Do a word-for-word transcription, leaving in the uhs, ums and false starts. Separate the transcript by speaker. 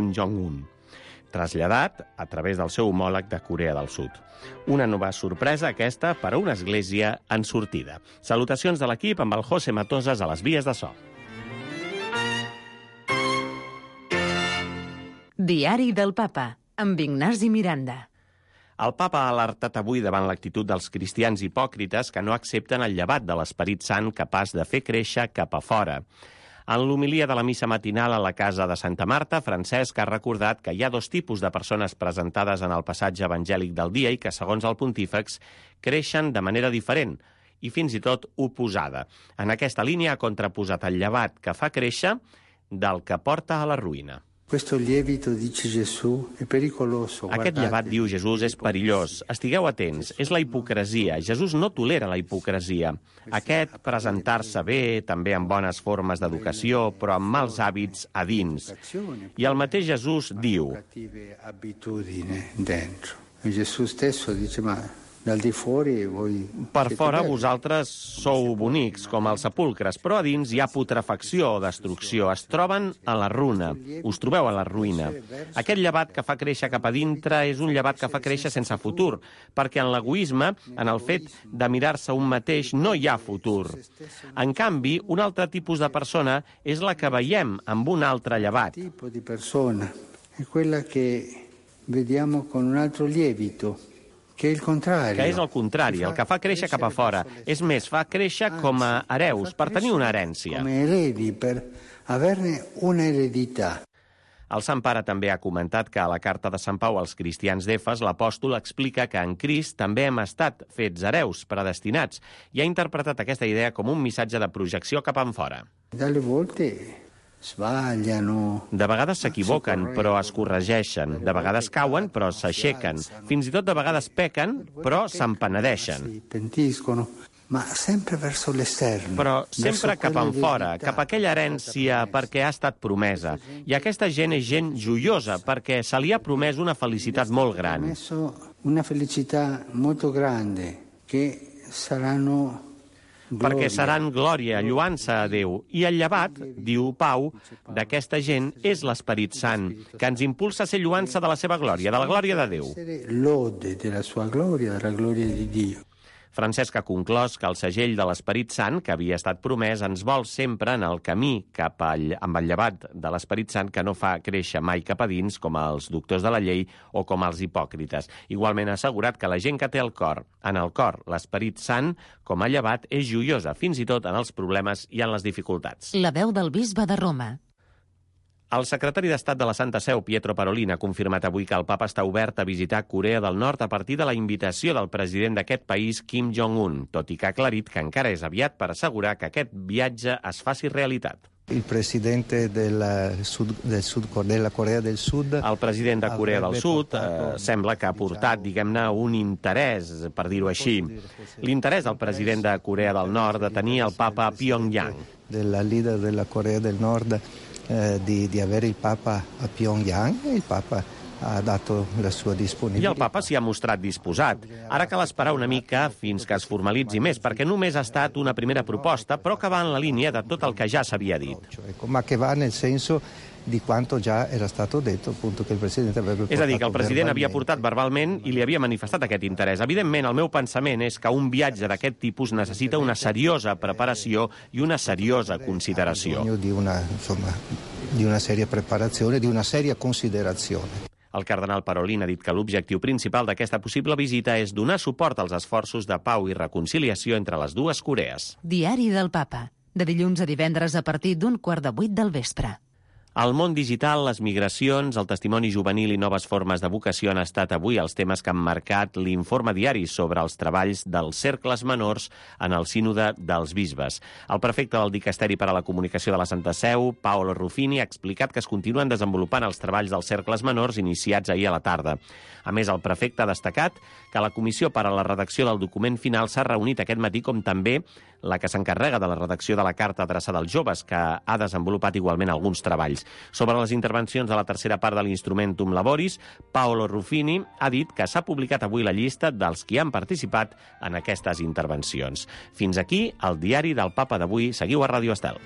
Speaker 1: Kim Jong-un, traslladat a través del seu homòleg de Corea del Sud. Una nova sorpresa aquesta per a una església en sortida. Salutacions de l'equip amb el José Matosas a les vies de so.
Speaker 2: Diari del Papa, amb Ignasi Miranda.
Speaker 1: El papa ha alertat avui davant l'actitud dels cristians hipòcrites que no accepten el llevat de l'Esperit Sant capaç de fer créixer cap a fora. En l'homilia de la missa matinal a la casa de Santa Marta, Francesc ha recordat que hi ha dos tipus de persones presentades en el passatge evangèlic del dia i que, segons el pontífex, creixen de manera diferent i fins i tot oposada. En aquesta línia ha contraposat el llevat que fa créixer del que porta a la ruïna.
Speaker 3: Questo lievito, dice Gesù, è pericoloso.
Speaker 1: Aquest llevat, diu Jesús, és perillós. Estigueu atents, és la hipocresia. Jesús no tolera la hipocresia. Aquest presentar-se bé, també amb bones formes d'educació, però amb mals hàbits a dins. I el mateix Jesús diu...
Speaker 3: Gesù stesso dice, ma dal di fuori voi...
Speaker 1: Per fora vosaltres sou bonics, com els sepulcres, però a dins hi ha putrefacció o destrucció. Es troben a la runa. Us trobeu a la ruïna. Aquest llevat que fa créixer cap a dintre és un llevat que fa créixer sense futur, perquè en l'egoisme, en el fet de mirar-se un mateix, no hi ha futur. En canvi, un altre tipus de persona és la que veiem amb un altre llevat.
Speaker 3: Il tipo di persona è quella che vediamo con un altro lievito. Que és
Speaker 1: el contrari, el que fa créixer cap a fora. És més, fa créixer com a hereus, per tenir una herència.
Speaker 3: Com heredi, per averne una hereditat.
Speaker 1: El Sant Pare també ha comentat que a la carta de Sant Pau als cristians d'Efes l'apòstol explica que en Crist també hem estat fets hereus, predestinats, i ha interpretat aquesta idea com un missatge de projecció cap enfora.
Speaker 3: Dalle volte...
Speaker 1: De vegades s'equivoquen, però es corregeixen. De vegades cauen, però s'aixequen. Fins i tot de vegades pequen, però se'n penedeixen.
Speaker 3: Ma sempre verso l'esterno.
Speaker 1: Però sempre cap en fora, cap a aquella herència perquè ha estat promesa. I aquesta gent és gent joiosa, perquè se li ha promès una felicitat molt gran.
Speaker 3: Una felicitat molt grande, que saranno...
Speaker 1: perquè seran glòria, lluança a Déu. I el llevat, diu Pau, d'aquesta gent és l'Esperit Sant, que ens impulsa a ser lluança de la seva glòria, de la glòria de Déu.
Speaker 3: Lode de la sua glòria, de la glòria de Dio.
Speaker 1: Francesc ha conclòs que el segell de l'Esperit Sant, que havia estat promès, ens vol sempre en el camí cap al, amb el llevat de l'Esperit Sant que no fa créixer mai cap a dins, com els doctors de la llei o com els hipòcrites. Igualment ha assegurat que la gent que té el cor, en el cor, l'Esperit Sant, com a llevat, és joiosa, fins i tot en els problemes i en les dificultats.
Speaker 2: La veu del bisbe de Roma.
Speaker 1: El secretari d'Estat de la Santa Seu, Pietro Parolin, ha confirmat avui que el papa està obert a visitar Corea del Nord a partir de la invitació del president d'aquest país, Kim Jong-un, tot i que ha aclarit que encara és aviat per assegurar que aquest viatge es faci realitat.
Speaker 4: Il presidente del sud, del sud, della Corea del Sud...
Speaker 1: El president de Corea del Sud eh, sembla que ha portat, diguem-ne, un interès, per dir-ho així. L'interès del president de Corea del Nord de tenir el papa a Pyongyang.
Speaker 4: Della leader della Corea del Nord eh, di, di avere il papa a Pyongyang e il papa ha dato la sua disponibilitat.
Speaker 1: I el papa s'hi ha mostrat disposat. Ara cal esperar una mica fins que es formalitzi més, perquè només ha estat una primera proposta, però que va en la línia de tot el que ja s'havia dit.
Speaker 4: Ma che va nel senso di quanto già era stato detto, appunto, che il presidente avrebbe portato.
Speaker 1: És a dir, que el president havia portat verbalment i li havia manifestat aquest interès. Evidentment, el meu pensament és que un viatge d'aquest tipus necessita una seriosa preparació i una seriosa consideració.
Speaker 4: Di una, insomma, di una seria preparazione, di una seria considerazione.
Speaker 1: El cardenal Parolin ha dit que l'objectiu principal d'aquesta possible visita és donar suport als esforços de pau i reconciliació entre les dues Corees.
Speaker 2: Diari del Papa, de dilluns a divendres a partir d'un quart de vuit del vespre.
Speaker 1: El món digital, les migracions, el testimoni juvenil i noves formes de vocació han estat avui els temes que han marcat l'informe diari sobre els treballs dels cercles menors en el sínode dels bisbes. El prefecte del Dicasteri per a la Comunicació de la Santa Seu, Paolo Ruffini, ha explicat que es continuen desenvolupant els treballs dels cercles menors iniciats ahir a la tarda. A més, el prefecte ha destacat que la comissió per a la redacció del document final s'ha reunit aquest matí, com també la que s'encarrega de la redacció de la carta adreçada als joves, que ha desenvolupat igualment alguns treballs. Sobre les intervencions de la tercera part de l'Instrumentum Laboris, Paolo Ruffini ha dit que s'ha publicat avui la llista dels qui han participat en aquestes intervencions. Fins aquí el diari del Papa d'avui. Seguiu a Ràdio Estel.